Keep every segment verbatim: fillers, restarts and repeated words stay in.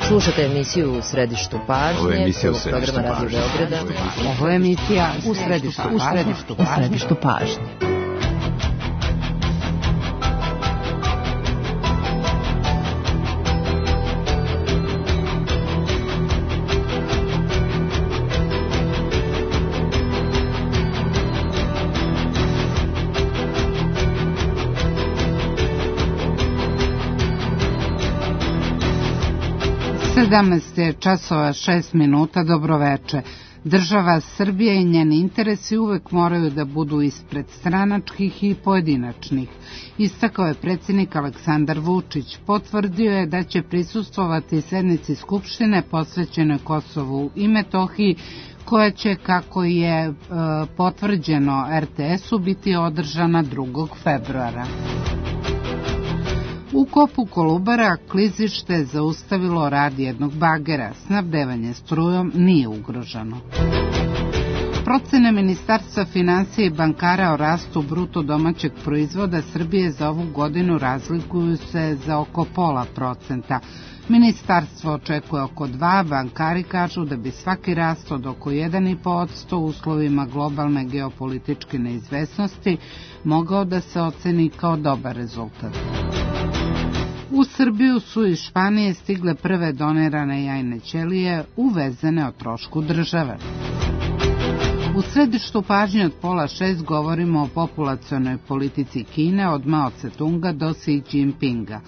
Slušate emisiju U središtu pažnje. Ovo je emisija U središtu programa pažnje. Radio Beograda. Ovo je emisija U središtu pažnje. U središtu pažnje. sedamnaest je časova šest minuta, dobroveče. Država Srbija i njeni interesi uvek moraju da budu ispred stranačkih i pojedinačnih. Istakao je predsjednik Aleksandar Vučić. Potvrdio je da će prisustvovati sednici Skupštine posvećenoj Kosovu i Metohiji, koja će, kako je e, potvrđeno er te esu, biti održana drugog februara. U kopu Kolubara klizište zaustavilo rad jednog bagera. Snabdevanje strujom nije ugroženo. Procene Ministarstva finansija i bankara o rastu bruto domaćeg proizvoda Srbije za ovu godinu razlikuju se za oko pola procenta. Ministarstvo očekuje oko dva, bankari kažu da bi svaki rast od oko jedan i po posto u uslovima globalne geopolitičke neizvesnosti mogao da se oceni kao dobar rezultat. U Srbiju su iz Španije stigle prve donirane jajne ćelije uvezene o trošku države. U središtu pažnje od pola šest govorimo o populacionoj politici Kine od Mao Tse-tunga do Xi Jinpinga.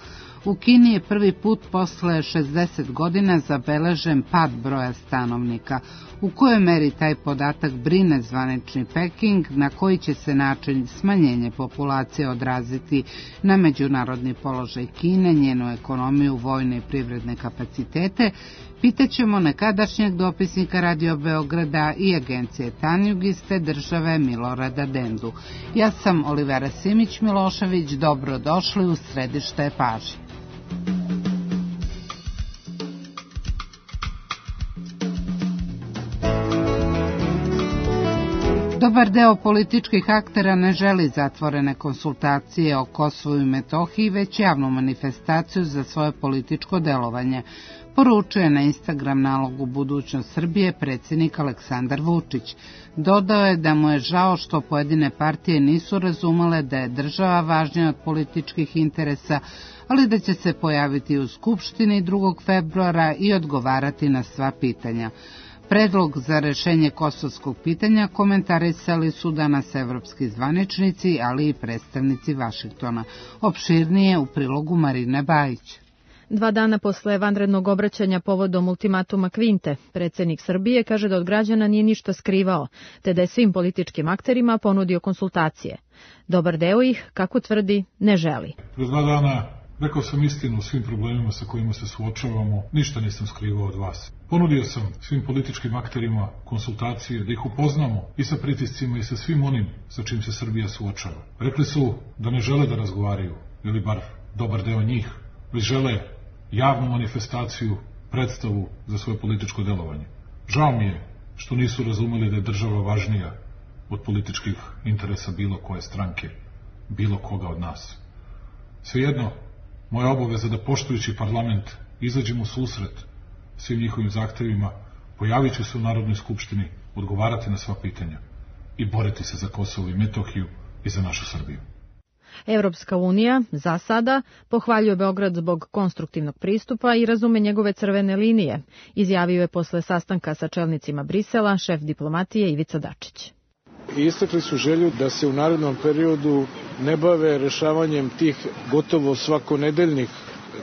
U Kini je prvi put posle šezdeset godina zabeležen pad broja stanovnika. U kojoj meri taj podatak brine zvanični Peking, na koji će se način smanjenje populacije odraziti na međunarodni položaj Kine, njenu ekonomiju, vojne i privredne kapacitete, pitaćemo nekadašnjeg dopisnika Radio Beograda i agencije Tanjug iz te države Milorada Dendu. Ja sam Olivera Simić-Milošević, dobrodošli u središte pažnje. Dobar deo političkih aktera ne želi zatvorene konsultacije o Kosovu i Metohiji, već javnu manifestaciju za svoje političko delovanje, poručuje na Instagram nalogu Budućnost Srbije predsjednik Aleksandar Vučić. Dodao je da mu je žao što pojedine partije nisu razumele da je država važnija od političkih interesa, ali da će se pojaviti u Skupštini drugog februara i odgovarati na sva pitanja. Predlog za rešenje kosovskog pitanja komentarisali su danas evropski zvaničnici, ali i predstavnici Vašingtona. Opširnije u prilogu Marine Bajić. Dva dana posle vanrednog obraćanja povodom ultimatuma Kvinte, predsjednik Srbije kaže da od građana nije ništa skrivao, te da je svim političkim akterima ponudio konsultacije. Dobar deo ih, kako tvrdi, ne želi. Kroz dva dana rekao sam istinu o svim problemima sa kojima se suočavamo, ništa nisam skrivao od vas. Ponudio sam svim političkim akterima konsultacije da ih upoznamo i sa pritiscima i sa svim onim sa čim se Srbija suočava. Rekli su da ne žele da razgovaraju, ili bar dobar deo njih, već žele javnu manifestaciju, predstavu za svoje političko delovanje. Žao mi je što nisu razumeli da je država važnija od političkih interesa bilo koje stranke, bilo koga od nas. Svejedno, moja obaveza da poštujući parlament izađem u susret svim njihovim zahtevima, pojavit ću se u Narodnoj skupštini, odgovarati na sva pitanja i boriti se za Kosovo i Metohiju i za našu Srbiju. Evropska unija, za sada, pohvaljuje Beograd zbog konstruktivnog pristupa i razume njegove crvene linije, izjavio je posle sastanka sa čelnicima Brisela šef diplomatije Ivica Dačić. Istakli su želju da se u narednom periodu ne bave rešavanjem tih gotovo svakonedeljnih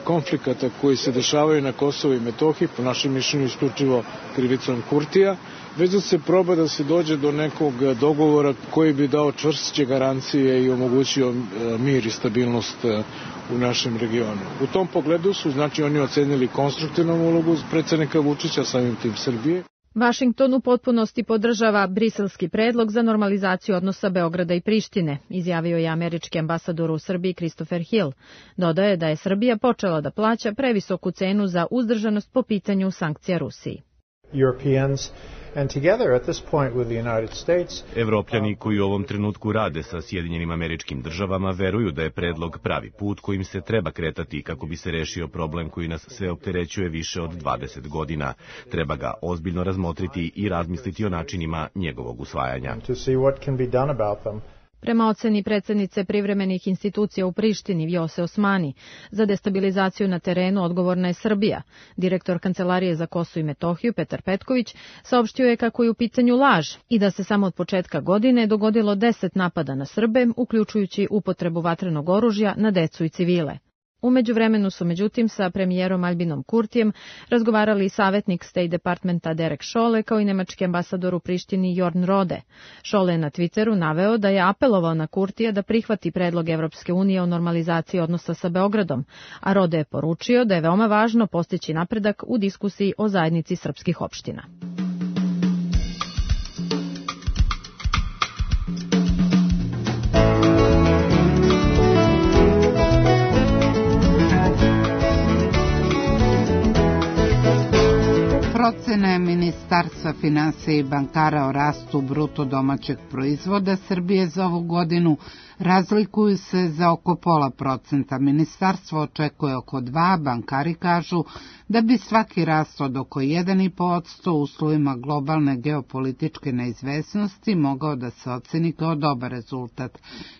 konflikata koji se dešavaju na Kosovu i Metohiji, po našem mišljenju isključivo krivicom Kurtija, već da se proba da se dođe do nekog dogovora koji bi dao čvršće garancije i omogućio mir i stabilnost u našem regionu. U tom pogledu su, znači, oni ocenili konstruktivnu ulogu predsjednika Vučića, samim tim Srbije. Vašington u potpunosti podržava briselski predlog za normalizaciju odnosa Beograda i Prištine, izjavio je američki ambasador u Srbiji Christopher Hill. Dodao je da je Srbija počela da plaća previsoku cenu za uzdržanost po pitanju sankcija Rusiji. Europeans and together at this point with the United States. Evropljani koji u ovom trenutku rade sa Sjedinjenim Američkim Državama veruju da je predlog pravi put kojim se treba kretati kako bi se rešio problem koji nas sve opterećuje više od dvadeset godina. Treba ga ozbiljno razmotriti i razmisliti o načinima njegovog usvajanja. To see what can be done about them. Prema oceni predsjednice privremenih institucija u Prištini Vjose Osmani, za destabilizaciju na terenu odgovorna je Srbija. Direktor Kancelarije za Kosovo i Metohiju Petar Petković saopštio je kako je u pitanju laž i da se samo od početka godine dogodilo deset napada na Srbe, uključujući upotrebu vatrenog oružja na decu i civile. U međuvremenu su međutim sa premijerom Albinom Kurtijem razgovarali i savjetnik State Departmenta Derek Scholle kao i nemački ambasador u Prištini Jorn Rode. Scholle je na Twitteru naveo da je apelovao na Kurtija da prihvati predlog Evropske unije o normalizaciji odnosa sa Beogradom, a Rode je poručio da je veoma važno postići napredak u diskusiji o zajednici srpskih opština. Procene Ministarstva finansija i bankara o rastu bruto domaćeg proizvoda Srbije za ovu godinu razlikuju se za oko pola procenta. Ministarstvo očekuje oko dva, bankari kažu da bi svaki rast od oko jedan i po posto u uslovima globalne geopolitičke neizvesnosti mogao da se oceni kao dobar rezultat.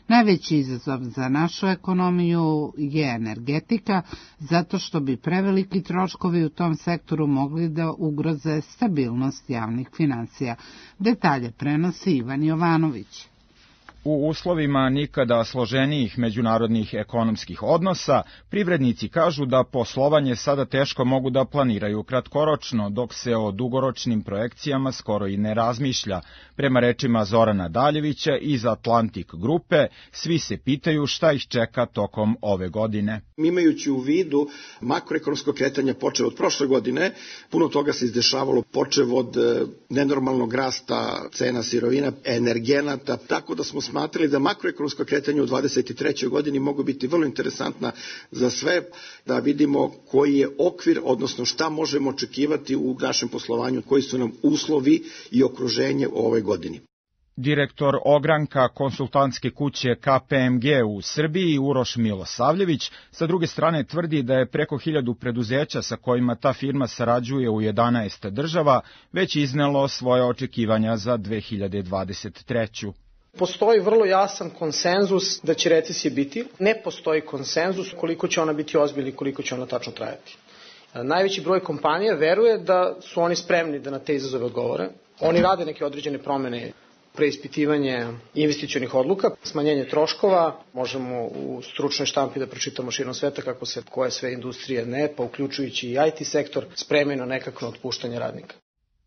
Najveći izazov za našu ekonomiju je energetika, zato što bi preveliki troškovi u tom sektoru mogli da ugroze stabilnost javnih finansija. Detalje prenosi Ivan Jovanović. U uslovima nikada složenijih međunarodnih ekonomskih odnosa, privrednici kažu da poslovanje sada teško mogu da planiraju kratkoročno, dok se o dugoročnim projekcijama skoro i ne razmišlja. Prema rečima Zorana Daljevića iz Atlantik grupe, svi se pitaju šta ih čeka tokom ove godine. Imajući u vidu makroekonomsko kretanje počev od prošle godine, puno toga se izdešavalo počev od nenormalnog rasta cena sirovina, energenata, tako da smo smatrali da makroekonomsko kretanje u dvadeset trećoj godini mogu biti vrlo interesantna za sve, da vidimo koji je okvir, odnosno šta možemo očekivati u našem poslovanju, koji su nam uslovi i okruženje u ovoj godini. Direktor ogranka konsultantske kuće K P M G u Srbiji Uroš Milosavljević sa druge strane tvrdi da je preko hiljadu preduzeća sa kojima ta firma sarađuje u jedanaest država već iznelo svoje očekivanja za dve hiljade dvadeset treću. Postoji vrlo jasan konsenzus da će recesija biti, ne postoji konsenzus koliko će ona biti ozbiljna i koliko će ona tačno trajati. Najveći broj kompanija veruje da su oni spremni da na te izazove odgovore. Oni rade neke određene promene, preispitivanje investicionih odluka, smanjenje troškova, možemo u stručnoj štampi da pročitamo širom sveta kako se koje sve industrije ne, pa uključujući i I T sektor, spremaju na nekakvo otpuštanje radnika.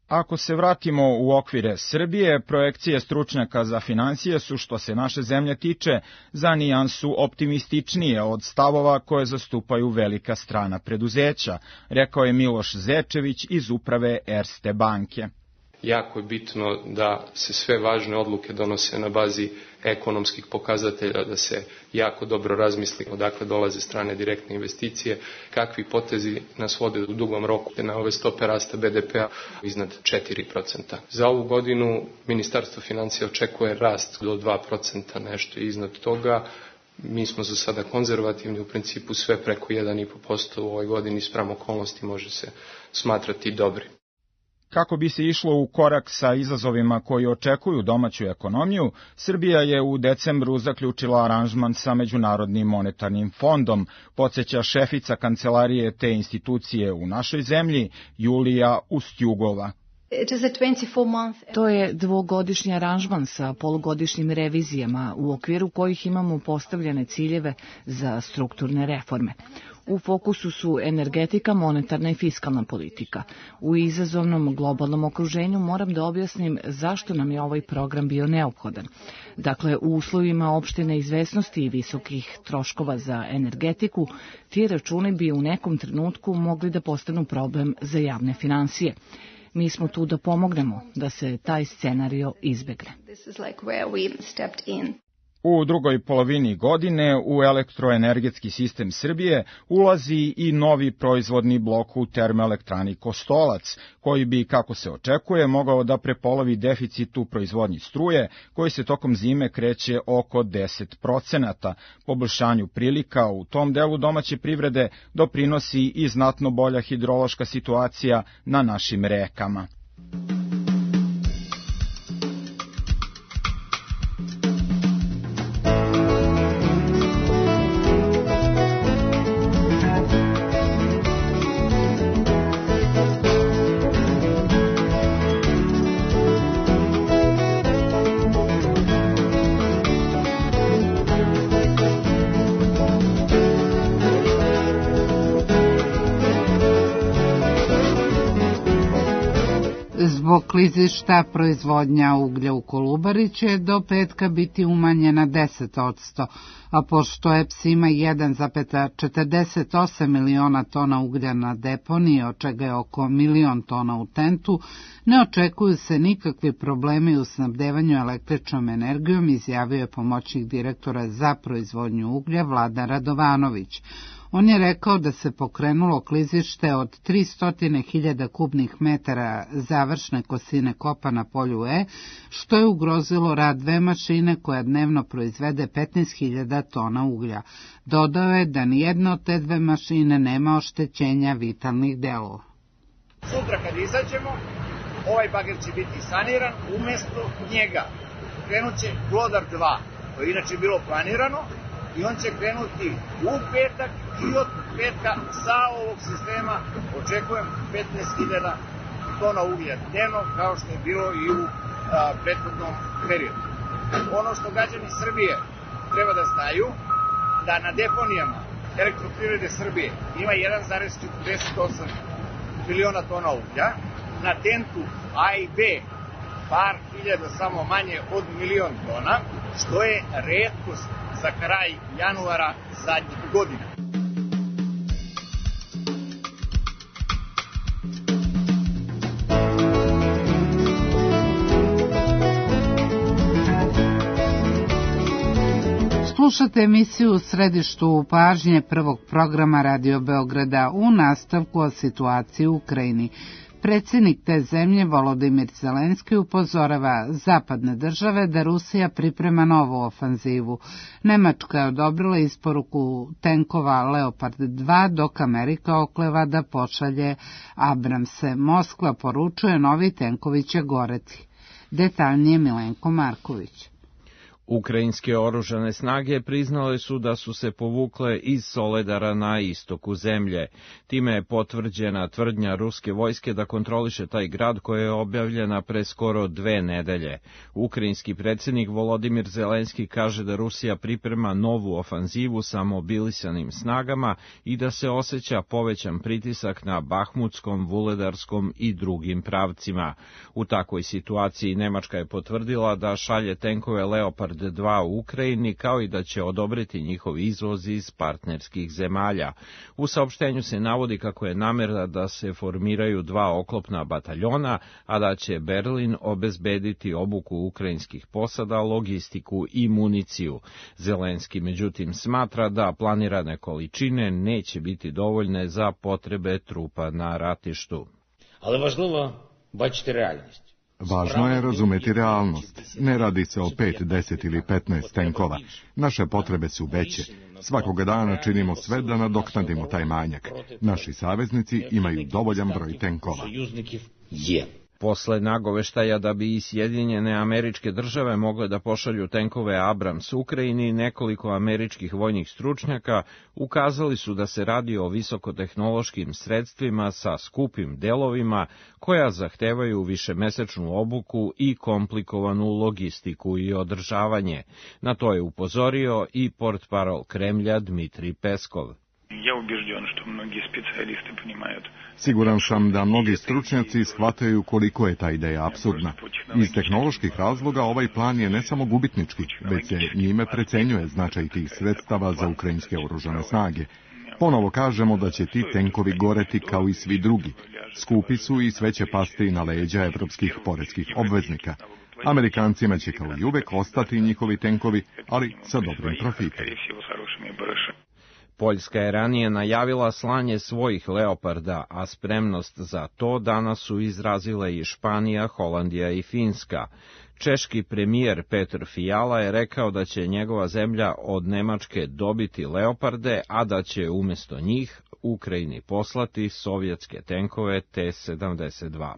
Ako se vratimo u okvire Srbije, projekcije stručnjaka za finansije su, što se naše zemlje tiče, za nijansu optimističnije od stavova koje zastupaju velika strana preduzeća, rekao je Miloš Zečević iz uprave Erste banke. Jako je bitno da se sve važne odluke donose na bazi ekonomskih pokazatelja, da se jako dobro razmisli odakle dolaze strane direktne investicije, kakvi potezi nas vode u dugom roku na ove stope rasta B D P-a iznad četiri procenta. Za ovu godinu Ministarstvo financija očekuje rast do dva procenta, nešto iznad toga. Mi smo za sada konzervativni, u principu sve preko jedan i po posto u ovoj godini spram okolnosti može se smatrati dobri. Kako bi se išlo u korak sa izazovima koji očekuju domaću ekonomiju, Srbija je u decembru zaključila aranžman sa Međunarodnim monetarnim fondom, podsjeća šefica kancelarije te institucije u našoj zemlji, Julija Ustjugova. To je dvogodišnji aranžman sa polugodišnjim revizijama u okviru kojih imamo postavljene ciljeve za strukturne reforme. U fokusu su energetika, monetarna i fiskalna politika. U izazovnom globalnom okruženju moram da objasnim zašto nam je ovaj program bio neophodan. Dakle, u uslovima opšte neizvesnosti i visokih troškova za energetiku, ti računi bi u nekom trenutku mogli da postanu problem za javne finansije. Mi smo tu da pomognemo da se taj scenario izbegne. U drugoj polovini godine u elektroenergetski sistem Srbije ulazi i novi proizvodni blok u termoelektrani Kostolac, koji bi, kako se očekuje, mogao da prepolovi deficit u proizvodnji struje, koji se tokom zime kreće oko deset procenata. Poboljšanju prilika u tom delu domaće privrede doprinosi i znatno bolja hidrološka situacija na našim rekama. Zbog klizišta proizvodnja uglja u Kolubari će do petka biti umanjena deset odsto, a pošto E P S ima jedan zarez četrdeset osam miliona tona uglja na deponiji, od čega je oko milion tona u tentu, ne očekuju se nikakvi problemi u snabdevanju električnom energijom, izjavio je pomoćnik direktora za proizvodnju uglja Vladan Radovanović. On je rekao da se pokrenulo klizište od tristo hiljada kubnih metara završne kosine kopa na polju E, što je ugrozilo rad dve mašine koja dnevno proizvede petnaest hiljada tona uglja. Dodao je da nijedna od te dve mašine nema oštećenja vitalnih delova. Sutra kad izađemo, ovaj bager će biti saniran, umesto njega krenut će Glodar dva, to je inače bilo planirano, i on će krenuti u petak i od petka sa ovog sistema očekujem petnaest hiljada tona uglja dnevno, kao što je bilo i u a, prethodnom periodu. Ono što građani Srbije treba da znaju, da na deponijama Elektroprivrede Srbije ima jedan zarez četrdeset osam miliona tona uglja, na tentu A i B par hiljada, samo manje od milion tona, što je retkost za kraj januara zadnjih godina. Slušate emisiju U središtu pažnje prvog programa Radio Beograda u nastavku o situaciji u Ukrajini. Predsjednik te zemlje Volodimir Zelenski upozorava zapadne države da Rusija priprema novu ofanzivu. Nemačka je odobrila isporuku tenkova Leopard dva, dok Amerika okleva da pošalje Abramse. Moskva poručuje novi tenkovi će goreti. Detaljnije Milenko Marković. Ukrajinske oružane snage priznale su da su se povukle iz Soledara na istoku zemlje. Time je potvrđena tvrdnja ruske vojske da kontroliše taj grad koja je objavljena pre skoro dve nedelje. Ukrajinski predsjednik Volodimir Zelenski kaže da Rusija priprema novu ofanzivu sa mobilisanim snagama i da se osjeća povećan pritisak na Bahmutskom, Vuledarskom i drugim pravcima. U takvoj situaciji Nemačka je potvrdila da šalje tenkove Leopard dva u Ukrajini, kao i da će odobriti njihov izvoz iz partnerskih zemalja. U saopštenju se navodi kako je namera da se formiraju dva oklopna bataljona, a da će Berlin obezbediti obuku ukrajinskih posada, logistiku i municiju. Zelenski međutim smatra da planirane količine neće biti dovoljne za potrebe trupa na ratištu. Ali važno bačiti realnost. Važno je razumeti realnost. Ne radi se o pet, deset ili petnaest tenkova. Naše potrebe su veće. Svakoga dana činimo sve da nadoknadimo taj manjak. Naši saveznici imaju dovoljan broj tenkova. Posle nagoveštaja da bi i Sjedinjene Američke Države mogle da pošalju tenkove Abrams Ukrajini, nekoliko američkih vojnih stručnjaka ukazali su da se radi o visokotehnološkim sredstvima sa skupim delovima koja zahtevaju višemesečnu obuku i komplikovanu logistiku i održavanje. Na to je upozorio i portparol Kremlja Dmitrij Peskov. Siguran sam da mnogi stručnjaci shvataju koliko je ta ideja apsurdna. Iz tehnoloških razloga ovaj plan je ne samo gubitnički, već se njime precenjuje značaj tih sredstava za ukrajinske oružane snage. Ponovo kažemo da će ti tenkovi goreti kao i svi drugi. Skupi su i sve će pasti na leđa evropskih poreskih obveznika. Amerikancima će kao i uvek ostati njihovi tenkovi, ali sa dobrim profitom. Poljska je ranije najavila slanje svojih Leoparda, a spremnost za to danas su izrazile i Španija, Holandija i Finska. Češki premijer Petr Fiala je rekao da će njegova zemlja od Nemačke dobiti Leoparde, a da će umjesto njih Ukrajini poslati sovjetske tenkove T sedamdeset dva.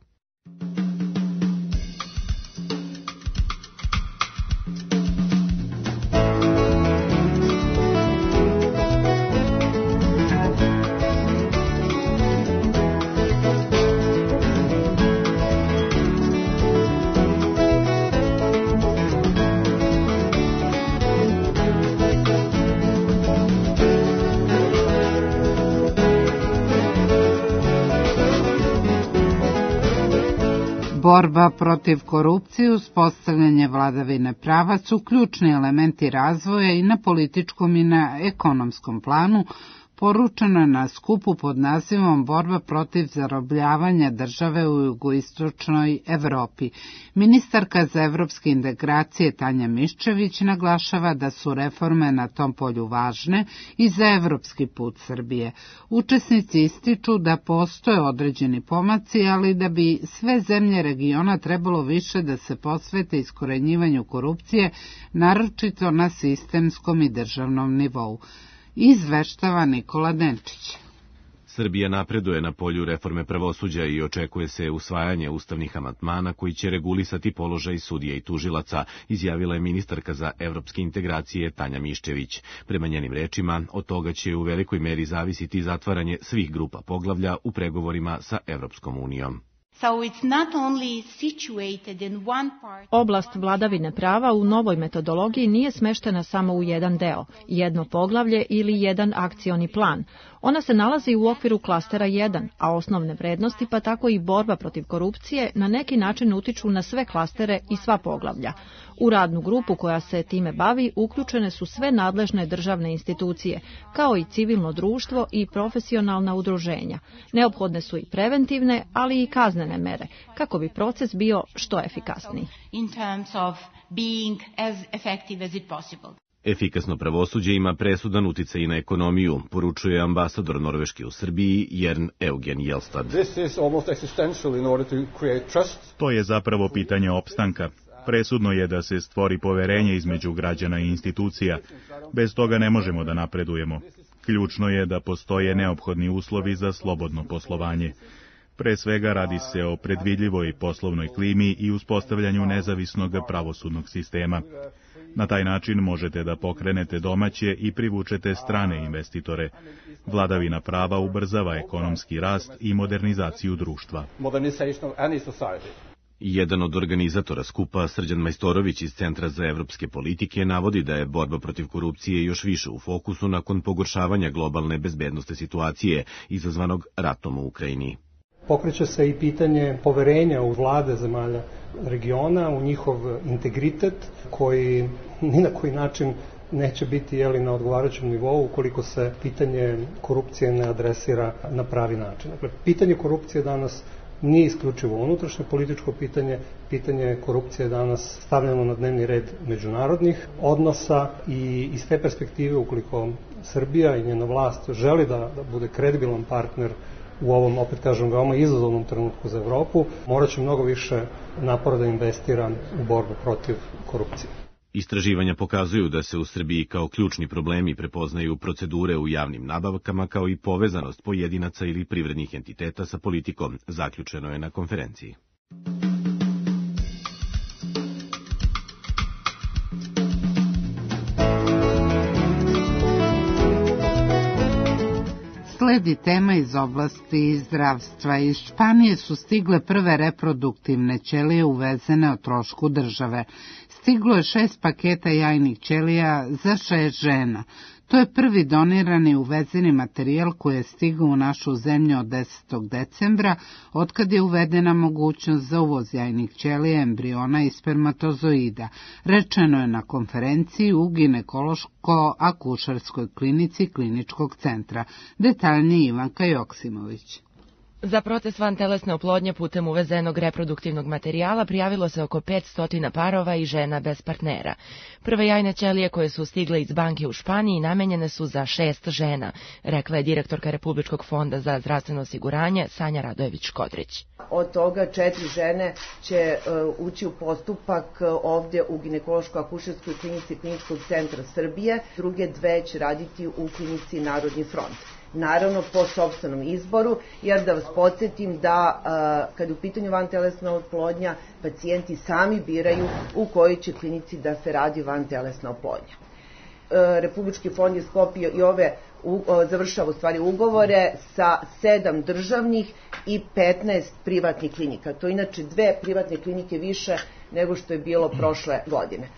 Borba protiv korupcije, uspostavljanje vladavine prava su ključni elementi razvoja i na političkom i na ekonomskom planu, poručeno je na skupu pod nazivom Borba protiv zarobljavanja države u jugoistočnoj Evropi. Ministarka za evropske integracije Tanja Miščević naglašava da su reforme na tom polju važne i za evropski put Srbije. Učesnici ističu da postoje određeni pomaci, ali da bi sve zemlje regiona trebalo više da se posvete iskorenjivanju korupcije, naročito na sistemskom i državnom nivou. Izveštava Nikola Denčić. Srbija napreduje na polju reforme pravosuđa i očekuje se usvajanje ustavnih amandmana koji će regulisati položaj sudija i tužilaca, izjavila je ministarka za evropske integracije Tanja Miščević. Prema njenim rečima, od toga će u velikoj meri zavisiti zatvaranje svih grupa poglavlja u pregovorima sa Evropskom unijom. Oblast vladavine prava u novoj metodologiji nije smeštena samo u jedan deo, jedno poglavlje ili jedan akcioni plan. Ona se nalazi u okviru klastera jedan, a osnovne vrednosti pa tako i borba protiv korupcije na neki način utiču na sve klastere i sva poglavlja. U radnu grupu koja se time bavi uključene su sve nadležne državne institucije, kao i civilno društvo i profesionalna udruženja. Neophodne su i preventivne, ali i kaznene mere, kako bi proces bio što efikasniji. Efikasno pravosuđe ima presudan uticaj na ekonomiju, poručuje ambasador Norveške u Srbiji Jern Eugen Jelstad. To je zapravo pitanje opstanka. Presudno je da se stvori poverenje između građana i institucija. Bez toga ne možemo da napredujemo. Ključno je da postoje neophodni uslovi za slobodno poslovanje. Pre svega radi se o predvidljivoj poslovnoj klimi i uspostavljanju nezavisnog pravosudnog sistema. Na taj način možete da pokrenete domaće i privučete strane investitore. Vladavina prava ubrzava ekonomski rast i modernizaciju društva. Jedan od organizatora skupa, Srđan Majstorović iz Centra za evropske politike, navodi da je borba protiv korupcije još više u fokusu nakon pogoršavanja globalne bezbednosne situacije izazvanog ratom u Ukrajini. Pokreće se i pitanje poverenja u vlade zemalja regiona, u njihov integritet koji ni na koji način neće biti jeli, na odgovarajućem nivou ukoliko se pitanje korupcije ne adresira na pravi način. Dakle, pitanje korupcije danas nije isključivo unutrašnje političko pitanje, pitanje korupcije je danas stavljeno na dnevni red međunarodnih odnosa i iz te perspektive ukoliko Srbija i njena vlast želi da, da bude kredibilan partner u ovom, opet kažem, veoma izazovnom trenutku za Evropu, morat će mnogo više napora da investira u borbu protiv korupcije. Istraživanja pokazuju da se u Srbiji kao ključni problemi prepoznaju procedure u javnim nabavkama kao i povezanost pojedinaca ili privrednih entiteta sa politikom, zaključeno je na konferenciji. Sledi tema iz oblasti zdravstva. Iz Španije su stigle prve reproduktivne ćelije uvezene o trošku države. Stiglo je šest paketa jajnih ćelija za šest žena. To je prvi donirani uvezeni materijal koji je stigao u našu zemlju od desetog decembra, otkad je uvedena mogućnost za uvoz jajnih ćelija, embriona i spermatozoida. Rečeno je na konferenciji u ginekološko-akušerskoj klinici Kliničkog centra. Detaljnije Ivanka Joksimović. Za proces vantelesne oplodnje putem uvezenog reproduktivnog materijala prijavilo se oko petsto parova i žena bez partnera. Prve jajne ćelije koje su stigle iz banke u Španiji namenjene su za šest žena, rekla je direktorka Republičkog fonda za zdravstveno osiguranje Sanja Radojević-Škodrić. Od toga četiri žene će uh, ući u postupak uh, ovdje u ginekološko-akušerskoj klinici Kliničkog centra Srbije, druge dve će raditi u klinici Narodni front. Naravno po sopstvenom izboru, jer da vas podsjetim da uh, kad je u pitanju vantelesna oplodnja, pacijenti sami biraju u kojoj će klinici da se radi vantelesna oplodnja. Uh, Republički fond je sklopio i ove u, uh, završava u stvari ugovore sa sedam državnih i petnaest privatnih klinika. To je inače dve privatne klinike više nego što je bilo prošle godine.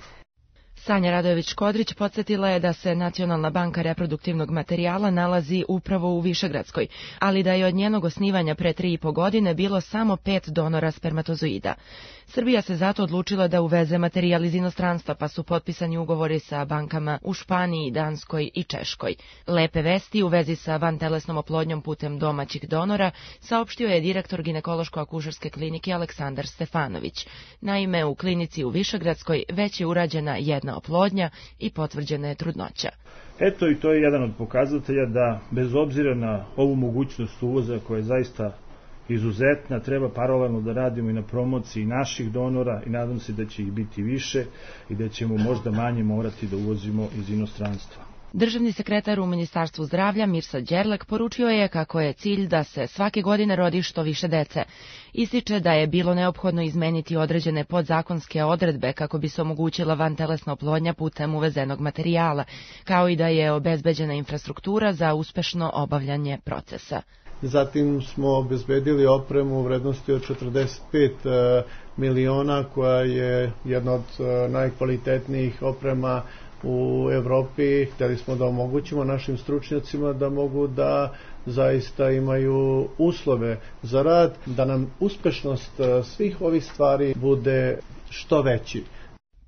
Sanja Radojević-Škodrić podsjetila je da se Nacionalna banka reproduktivnog materijala nalazi upravo u Višegradskoj, ali da je od njenog osnivanja pre tri i po godine bilo samo pet donora spermatozoida. Srbija se zato odlučila da uveze materijal iz inostranstva, pa su potpisani ugovori sa bankama u Španiji, Danskoj i Češkoj. Lepe vesti u vezi sa vantelesnom oplodnjom putem domaćih donora saopštio je direktor ginekološko-akušerske klinike Aleksandar Stefanović. Naime, u klinici u Višegradskoj već je urađena jedna oplodnja i potvrđena je trudnoća. Eto i to je jedan od pokazatelja da bez obzira na ovu mogućnost uvoza koja je zaista izuzetna, treba paralelno da radimo i na promociji naših donora i nadam se da će ih biti više i da ćemo možda manje morati da uvozimo iz inostranstva. Državni sekretar u Ministarstvu zdravlja Mirsa Đerlek poručio je kako je cilj da se svake godine rodi što više dece. Ističe da je bilo neophodno izmeniti određene podzakonske odredbe kako bi se omogućila vantelesna oplodnja putem uvezenog materijala, kao i da je obezbeđena infrastruktura za uspešno obavljanje procesa. Zatim smo obezbedili opremu u vrednosti od četrdeset pet miliona, koja je jedna od najkvalitetnijih oprema u Evropi. Hteli smo da omogućimo našim stručnjacima da mogu da zaista imaju uslove za rad, da nam uspešnost svih ovih stvari bude što veći.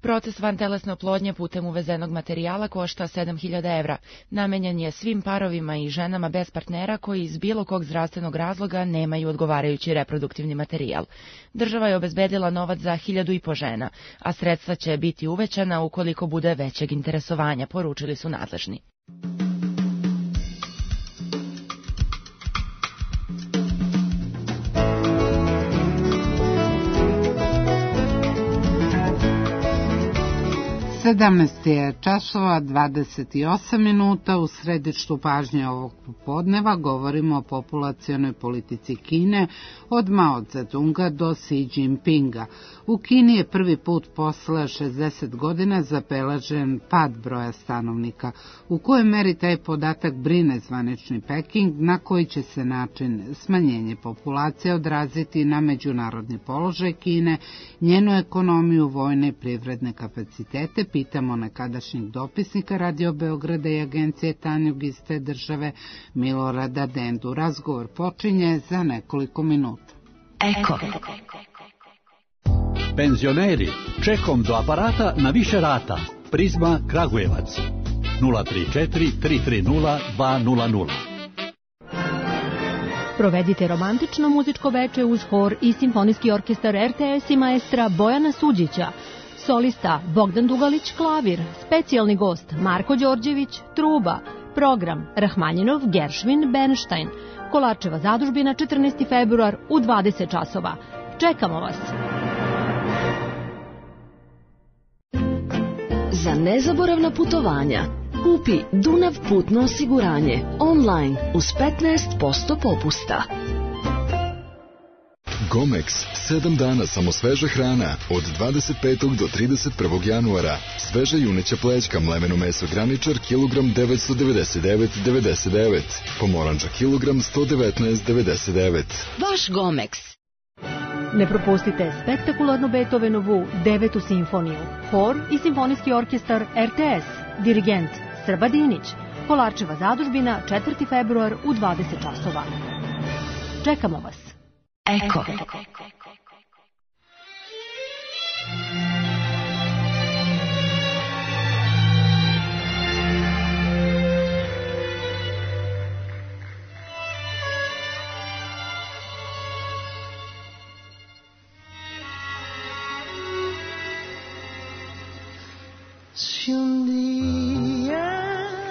Proces vantelesne oplodnje putem uvezenog materijala košta sedam hiljada evra. Namenjen je svim parovima i ženama bez partnera koji iz bilo kog zdravstvenog razloga nemaju odgovarajući reproduktivni materijal. Država je obezbedila novac za hiljadu i po žena, a sredstva će biti uvećana ukoliko bude većeg interesovanja, poručili su nadležni. sedamnaest je časova dvadeset osam minuta. U središtu pažnje ovog popodneva govorimo o populacionoj politici Kine od Mao Zedonga do Xi Jinpinga. U Kini je prvi put posle šezdeset godina zabeležen pad broja stanovnika. U kojoj meri taj podatak brine zvanični Peking, na koji će se način smanjenje populacije odraziti na međunarodni položaj Kine, njenu ekonomiju, vojne i privredne kapacitete, pitamo nekadašnjeg dopisnika Radio Beograda i agencije Tanjug iz te države Milorada Dendu. Razgovor počinje za nekoliko minuta. Eko. Penzioneri, čekom do aparata na više rata. Prizma Kragujevac. nula tri četiri tri tri nula dva nula nula. Provedite romantično muzičko veče uz hor i simfonijski orkestar R T S i maestra Bojana Suđića. Solista Bogdan Dugalić klavir, specijalni gost Marko Đorđević truba, program Rahmanjinov, Geršvin, Bernstein, Kolarčeva zadužbina četrnaesti februar u dvadeset časova. Čekamo vas! Za nezaboravna putovanja kupi Dunav putno osiguranje online uz petnaest posto popusta. Gomex, sedam dana samo sveža hrana, od dvadeset petog do trideset prvog januara. Sveža juneća plećka, mleveno meso graničar, kilogram devetsto devedeset devet zarez devedeset devet. Pomoranđa kilogram sto devetnaest zarez devedeset devet. Vaš Gomex. Ne propustite spektakularnu Beethovenovu devetu simfoniju, hor i simfonijski orkestar R T S, dirigent Srba Dinić, Kolarčeva zadužbina četvrti februar u dvadeset časova. Čekamo vas! Eko. Se um dia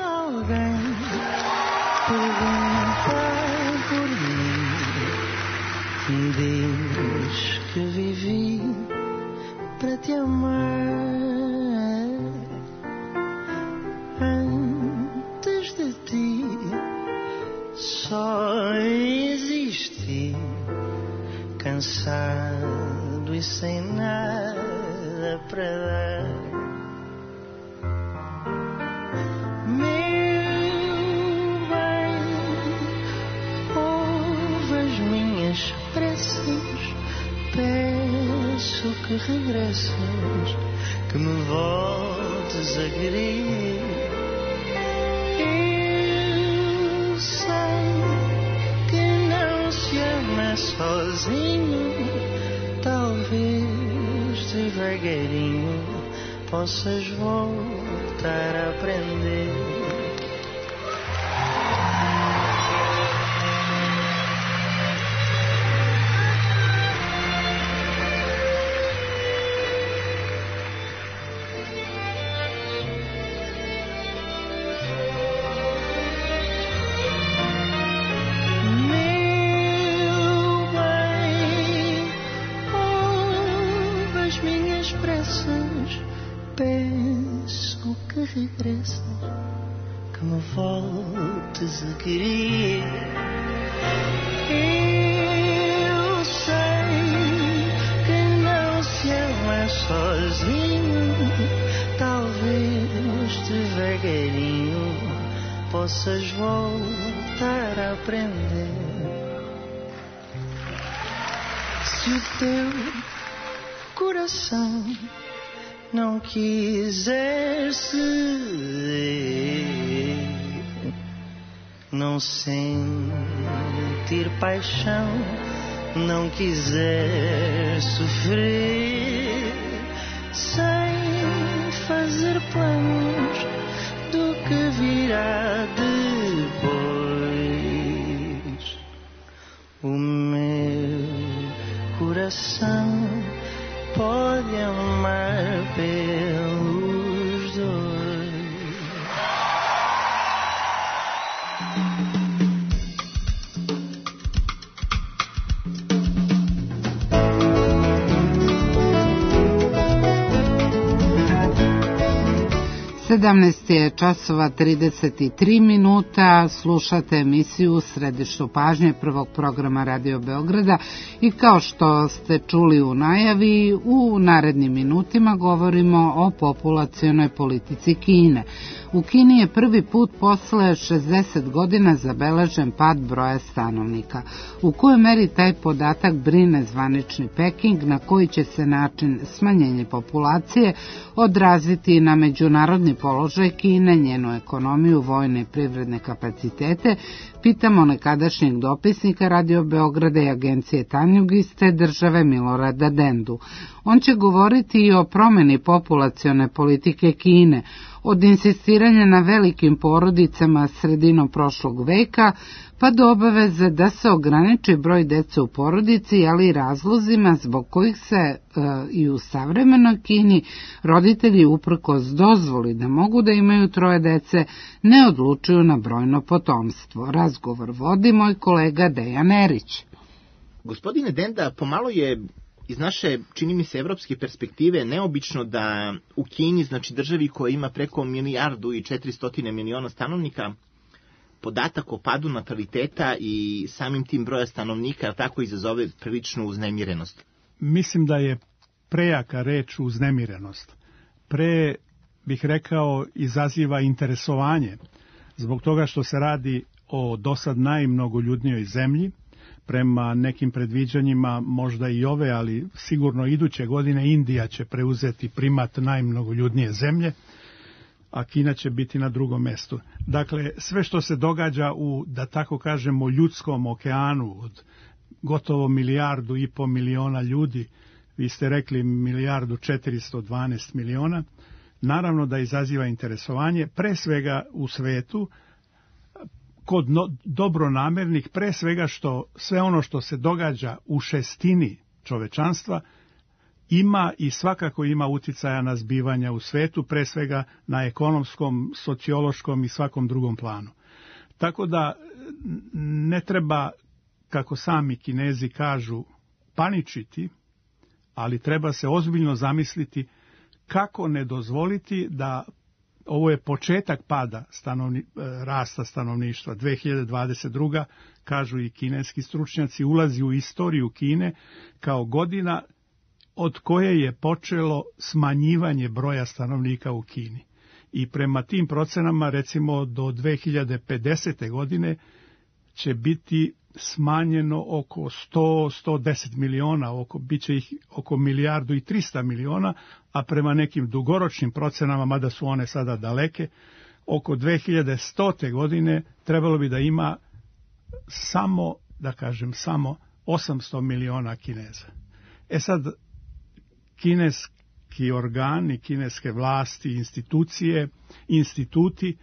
alguém perguntar por mim, diz que vivi para te amar. Antes de ti só existi, cansado e sem nada para dar. Meu bem, ouve as minhas preces, peço que regresses, que me voltes a querer. Eu sei que não se ama sozinho, talvez devagarinho possas voltar a aprender. Peço que regresses, que me voltes a querer. Eu sei que não se ama sozinho, talvez devagarinho possas voltar a aprender. Se o teu coração não quiser ceder, não sentir paixão, não quiser sofrer, sem fazer planos do que virá depois, o meu coração pode amar pelos dois. sedamnaest je časova trideset tri minuta, slušate emisiju u središtu pažnje prvog programa Radio Beograda i kao što ste čuli u najavi, u narednim minutima govorimo o populacionoj politici Kine. U Kini je prvi put posle šezdeset godina zabeležen pad broja stanovnika. U kojoj meri taj podatak brine zvanični Peking, na koji će se način smanjenje populacije odraziti na međunarodni položaj Kine, njenu ekonomiju, vojne i privredne kapacitete, pitamo nekadašnjeg dopisnika Radio Beograda i agencije Tanjug iz te države Milorada Dendu. On će govoriti i o promeni populacione politike Kine, od insistiranja na velikim porodicama sredinom prošlog veka, pa do obaveze da se ograniči broj dece u porodici, ali i razlozima zbog kojih se e, i u savremenoj Kini roditelji uprkos dozvoli da mogu da imaju troje dece ne odlučuju na brojno potomstvo. Razgovor vodi moj kolega Dejan Erić. Gospodine Denda, pomalo je iz naše, čini mi se, evropske perspektive neobično da u Kini, znači državi koja ima preko milijardu i četiristotine miliona stanovnika, podatak o padu nataliteta i samim tim broja stanovnika tako izazove priličnu uznemirenost. Mislim da je prejaka reč uznemirenost. Pre, bih rekao, izaziva interesovanje zbog toga što se radi o dosad najmnogoljudnijoj zemlji. Prema nekim predviđanjima, možda i ove, ali sigurno iduće godine Indija će preuzeti primat najmnogoljudnije zemlje, a Kina će biti na drugom mestu. Dakle, sve što se događa u, da tako kažemo, ljudskom okeanu od gotovo milijardu i po miliona ljudi, vi ste rekli milijardu četiristo dvanaest miliona, naravno da izaziva interesovanje, pre svega u svetu, kod no, dobronamernih, pre svega što sve ono što se događa u šestini čovečanstva ima i svakako ima uticaja na zbivanja u svetu, pre svega na ekonomskom, sociološkom i svakom drugom planu. Tako da ne treba, kako sami Kinezi kažu, paničiti, ali treba se ozbiljno zamisliti kako ne dozvoliti da, ovo je početak pada stanovni, rasta stanovništva, dve hiljade dvadeset druga kažu i kineski stručnjaci, ulazi u istoriju Kine kao godina od koje je počelo smanjivanje broja stanovnika u Kini. I prema tim procenama, recimo do dve hiljade pedesete. godine će biti smanjeno oko sto do sto deset miliona, oko, bit će ih oko milijardu i trista miliona, a prema nekim dugoročnim procenama, mada su one sada daleke, oko dve hiljade stote. godine trebalo bi da ima samo, da kažem, samo osamsto miliona Kineza. E sad, kineski organi, kineske vlasti, institucije, instituti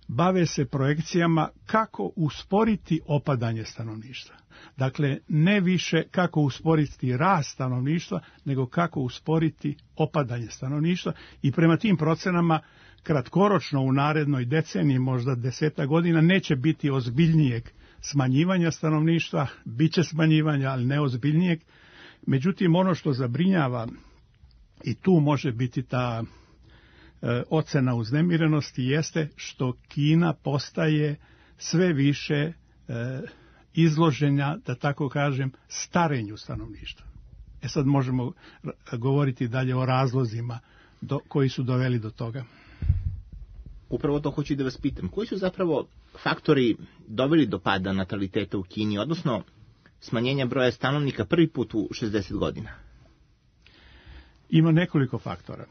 bave se projekcijama kako usporiti opadanje stanovništva. Dakle, ne više kako usporiti rast stanovništva, nego kako usporiti opadanje stanovništva i prema tim procenama kratkoročno u narednoj deceniji, možda deseta godina, neće biti ozbiljnijeg smanjivanja stanovništva, bit će smanjivanja, ali ne ozbiljnijeg. Međutim, ono što zabrinjava, i tu može biti ta e, ocena uznemirenosti, jeste što Kina postaje sve više e, izloženja, da tako kažem, starenju stanovništva. E sad možemo govoriti dalje o razlozima do, koji su doveli do toga. Upravo to hoću da vas pitam. Koji su zapravo faktori doveli do pada nataliteta u Kini, odnosno smanjenja broja stanovnika prvi put u šezdeset godina? Ima nekoliko faktora.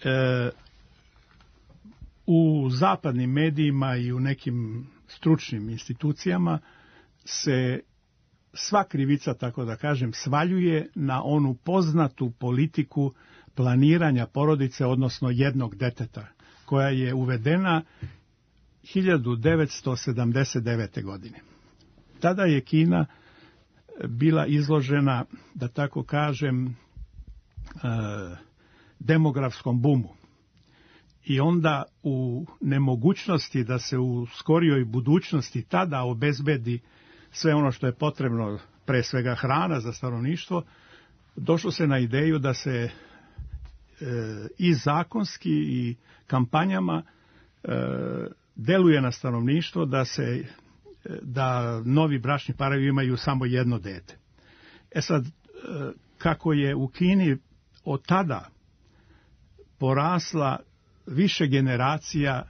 E, u zapadnim medijima i u nekim stručnim institucijama se sva krivica, tako da kažem, svaljuje na onu poznatu politiku planiranja porodice, odnosno jednog deteta, koja je uvedena hiljadu devetsto sedamdeset devete. godine. Tada je Kina bila izložena, da tako kažem, demografskom bumu. I onda u nemogućnosti da se u skorijoj budućnosti tada obezbedi sve ono što je potrebno, pre svega hrana za stanovništvo, došlo se na ideju da se e, i zakonski i kampanjama e, deluje na stanovništvo da se da novi bračni parovi imaju samo jedno dete. E sad, e, kako je u Kini od tada porasla više generacija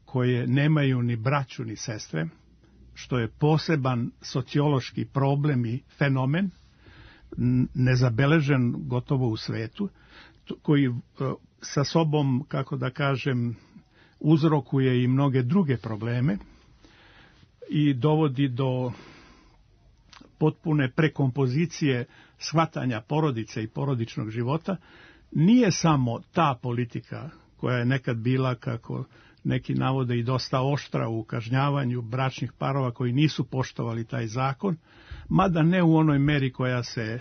koje nemaju ni braću ni sestre, što je poseban sociološki problem i fenomen, nezabeležen gotovo u svetu, koji sa sobom, kako da kažem, uzrokuje i mnoge druge probleme i dovodi do potpune prekompozicije shvatanja porodice i porodičnog života. Nije samo ta politika koja je nekad bila, kako neki navode, i dosta oštra u kažnjavanju bračnih parova koji nisu poštovali taj zakon, mada ne u onoj meri koja se e,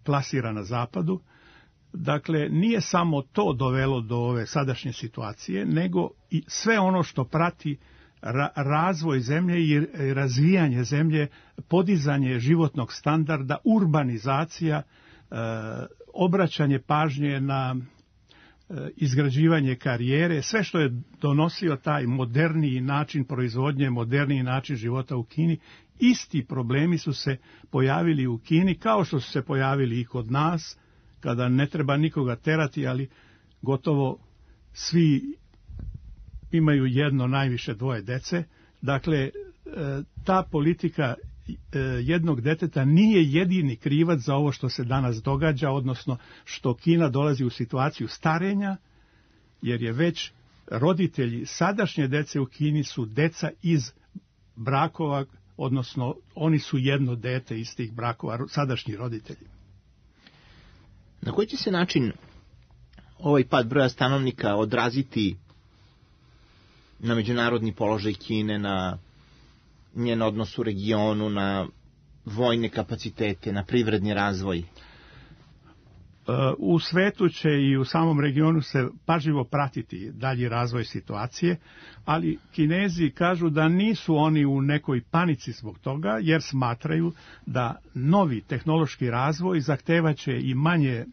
plasira na zapadu. Dakle, nije samo to dovelo do ove sadašnje situacije, nego i sve ono što prati ra- razvoj zemlje i razvijanje zemlje, podizanje životnog standarda, urbanizacija, e, obraćanje pažnje na izgrađivanje karijere, sve što je donosio taj moderniji način proizvodnje, moderniji način života u Kini. Isti problemi su se pojavili u Kini, kao što su se pojavili i kod nas, kada ne treba nikoga terati, ali gotovo svi imaju jedno, najviše dvoje dece. Dakle, ta politika jednog deteta nije jedini krivac za ovo što se danas događa, odnosno što Kina dolazi u situaciju starenja, jer je već roditelji sadašnje dece u Kini su deca iz brakova, odnosno oni su jedno dete iz tih brakova, sadašnji roditelji. Na koji će se način ovaj pad broja stanovnika odraziti na međunarodni položaj Kine, na njen odnos u regionu, na vojne kapacitete, na privredni razvoj? U svetu će i u samom regionu se pažljivo pratiti dalji razvoj situacije, ali Kinezi kažu da nisu oni u nekoj panici zbog toga, jer smatraju da novi tehnološki razvoj zahtevaće i manje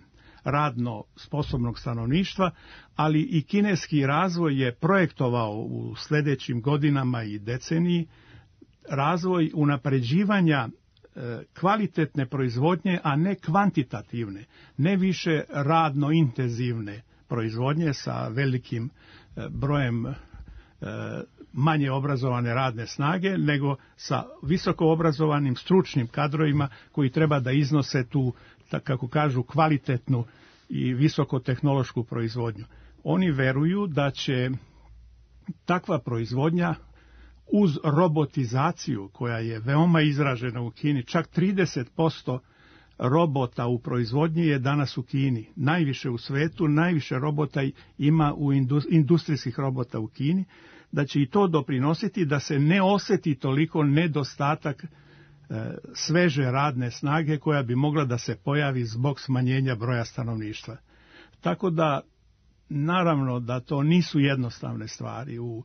radno sposobnog stanovništva, ali i kineski razvoj je projektovao u sljedećim godinama i deceniji razvoj unapređivanja kvalitetne proizvodnje, a ne kvantitativne, ne više radno intenzivne proizvodnje sa velikim brojem manje obrazovane radne snage, nego sa visoko obrazovanim stručnim kadrovima koji treba da iznose tu, kako kažu, kvalitetnu i visokotehnološku proizvodnju. Oni veruju da će takva proizvodnja uz robotizaciju koja je veoma izražena u Kini, čak trideset posto robota u proizvodnji je danas u Kini. Najviše u svetu, najviše robota ima u industrijskih robota u Kini, da će i to doprinositi da se ne osjeti toliko nedostatak e, sveže radne snage koja bi mogla da se pojavi zbog smanjenja broja stanovništva. Tako da, naravno da to nisu jednostavne stvari. U,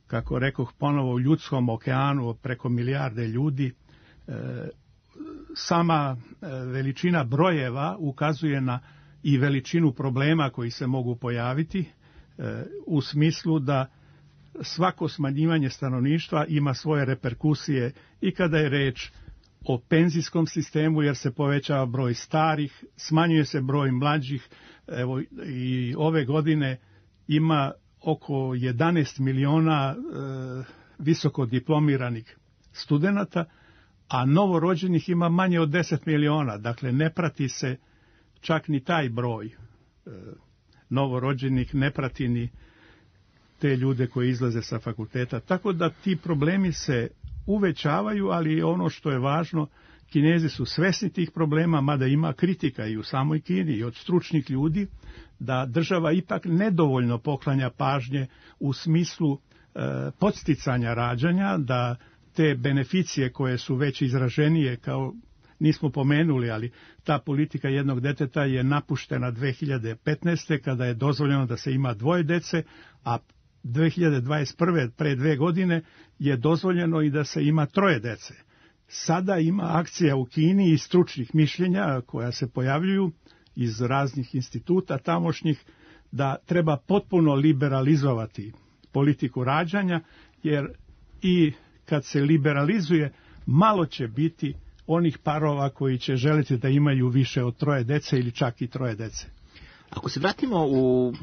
kako rekoh ponovo, u ljudskom okeanu preko milijarde ljudi, e, sama veličina brojeva ukazuje na i veličinu problema koji se mogu pojaviti, e, u smislu da svako smanjivanje stanovništva ima svoje reperkusije i kada je reč o penzijskom sistemu, jer se povećava broj starih, smanjuje se broj mlađih. Evo, i ove godine ima oko jedanaest miliona e, visoko diplomiranih studenata, a novorođenih ima manje od deset miliona. Dakle, ne prati se čak ni taj broj e, novorođenih, ne prati ni te ljude koji izlaze sa fakulteta. Tako da ti problemi se uvećavaju, ali ono što je važno, Kinezi su svesni tih problema, mada ima kritika i u samoj Kini i od stručnih ljudi, da država ipak nedovoljno poklanja pažnje u smislu e, podsticanja rađanja, da te beneficije koje su već izraženije, kao nismo pomenuli, ali ta politika jednog deteta je napuštena dve hiljade petnaeste. kada je dozvoljeno da se ima dvoje dece, a dve hiljade dvadeset prve pre dve godine je dozvoljeno i da se ima troje dece. Sada ima akcija u Kini i stručnih mišljenja koja se pojavljuju iz raznih instituta tamošnjih da treba potpuno liberalizovati politiku rađanja, jer i kad se liberalizuje, malo će biti onih parova koji će želiti da imaju više od troje dece ili čak i troje dece. Ako se vratimo u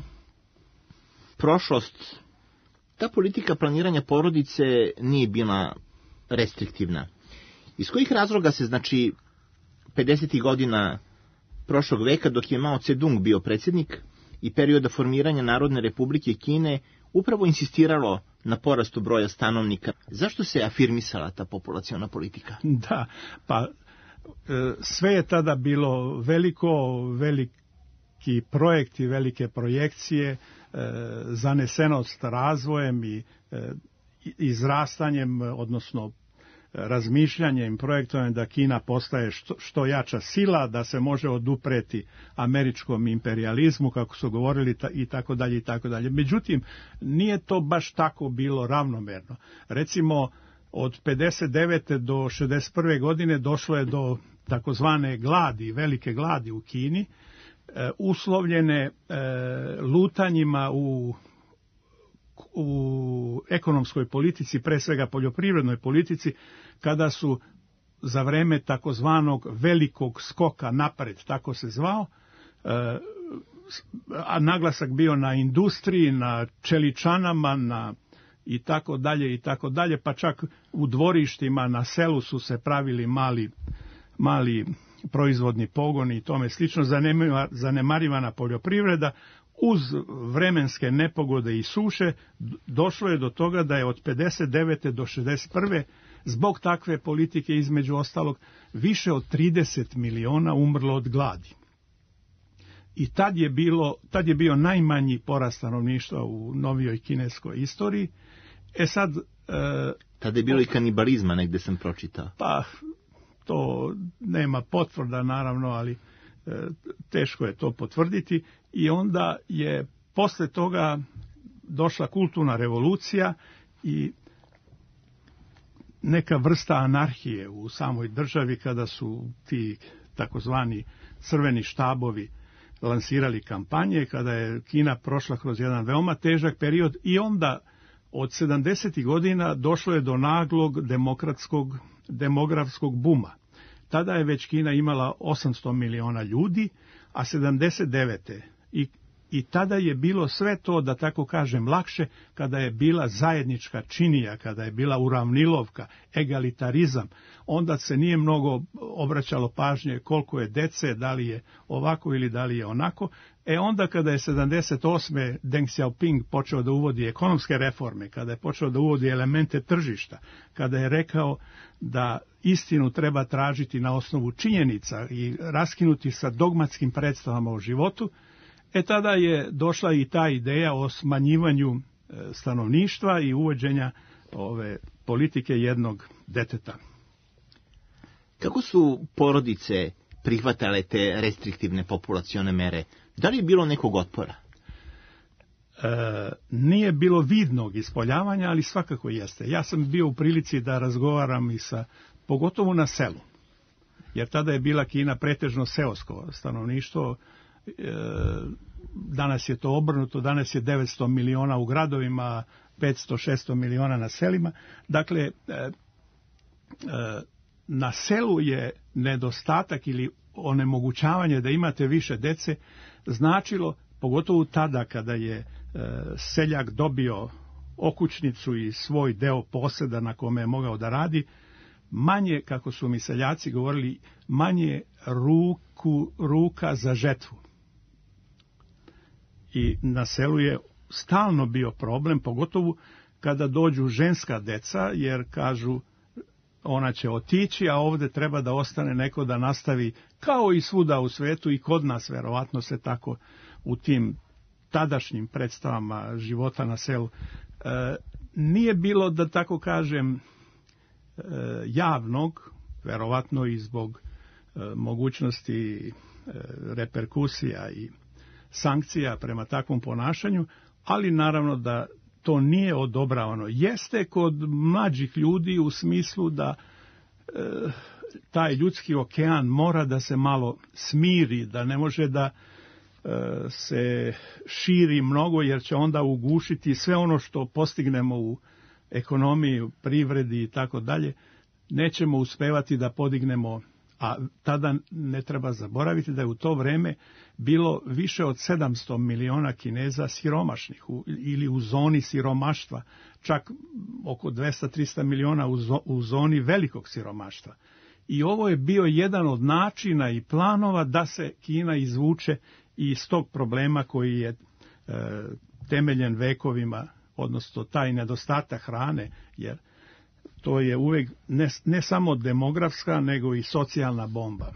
prošlost, ta politika planiranja porodice nije bila restriktivna. Iz kojih razloga se, znači, pedesetih godina prošlog veka, dok je Mao Tse-dung bio predsjednik, i perioda formiranja Narodne republike Kine, upravo insistiralo na porastu broja stanovnika? Zašto se afirmisala ta populaciona politika? Da, pa sve je tada bilo veliko, veliki projekti, velike projekcije, zanesenost razvojem i izrastanjem, odnosno razmišljanjem, projektovanjem da Kina postaje što, što jača sila, da se može odupreti američkom imperijalizmu, kako su govorili, ta, i tako dalje i tako dalje. Međutim, nije to baš tako bilo ravnomerno. Recimo, od pedeset devete do šezdeset prve godine došlo je do takozvane gladi, velike gladi u Kini, e, uslovljene e, lutanjima u u ekonomskoj politici, pre svega poljoprivrednoj politici, kada su za vreme takozvanog velikog skoka napred, tako se zvao, a naglasak bio na industriji, na čeličanama, na i tako dalje i tako dalje, pa čak u dvorištima na selu su se pravili mali, mali proizvodni pogoni i tome slično, zanemarivana poljoprivreda. Uz vremenske nepogode i suše došlo je do toga da je od pedeset devete do šezdeset prve zbog takve politike, između ostalog, više od trideset miliona umrlo od gladi. I tad je, bilo, tad je bio najmanji porast stanovništva u novijoj kineskoj istoriji. E sad... E, Tada je bilo i kanibalizma, negde sam pročitao. Pa, to nema potvrda, naravno, ali teško je to potvrditi, i onda je posle toga došla kulturna revolucija i neka vrsta anarhije u samoj državi kada su ti takozvani crveni štabovi lansirali kampanje, kada je Kina prošla kroz jedan veoma težak period, i onda od sedamdesetih godina došlo je do naglog demokratskog, demografskog buma. Tada je već Kina imala osamsto miliona ljudi, a sedamdeset devete i I tada je bilo sve to, da tako kažem, lakše, kada je bila zajednička činija, kada je bila uravnilovka, egalitarizam. Onda se nije mnogo obraćalo pažnje koliko je dece, da li je ovako ili da li je onako. E onda kada je sedamdeset osme Deng Xiaoping počeo da uvodi ekonomske reforme, kada je počeo da uvodi elemente tržišta, kada je rekao da istinu treba tražiti na osnovu činjenica i raskinuti sa dogmatskim predstavama o životu, E tada je došla i ta ideja o smanjivanju stanovništva i uvođenja ove politike jednog deteta. Kako su porodice prihvatale te restriktivne populacione mere? Da li je bilo nekog otpora? E, nije bilo vidnog ispoljavanja, ali svakako jeste. Ja sam bio u prilici da razgovaram i sa, pogotovo na selu, jer tada je bila Kina pretežno seosko stanovništvo. Danas je to obrnuto, danas je devetsto miliona u gradovima, petsto šesto miliona na selima. Dakle, na selu je nedostatak ili onemogućavanje da imate više dece značilo, pogotovo tada kada je seljak dobio okućnicu i svoj deo poseda na kome je mogao da radi, manje, kako su mi seljaci govorili, manje ruku, ruka za žetvu. I na selu je stalno bio problem, pogotovo kada dođu ženska deca, jer kažu ona će otići, a ovde treba da ostane neko da nastavi, kao i svuda u svetu, i kod nas verovatno se tako u tim tadašnjim predstavama života na selu. E, nije bilo, da tako kažem, e, javnog, verovatno i zbog e, mogućnosti e, reperkusija i sankcija prema takvom ponašanju, ali naravno da to nije odobravano. Jeste kod mlađih ljudi u smislu da e, taj ljudski okean mora da se malo smiri, da ne može da e, se širi mnogo, jer će onda ugušiti sve ono što postignemo u ekonomiji, u privredi i tako dalje. Nećemo uspevati da podignemo, a tada ne treba zaboraviti da je u to vreme bilo više od sedamsto miliona Kineza siromašnih u, ili u zoni siromaštva, čak oko dvesta do trista miliona u, zo, u zoni velikog siromaštva. I ovo je bio jedan od načina i planova da se Kina izvuče iz tog problema koji je e, temeljen vekovima, odnosno taj nedostatak hrane, jer to je uvek ne, ne samo demografska, nego i socijalna bomba.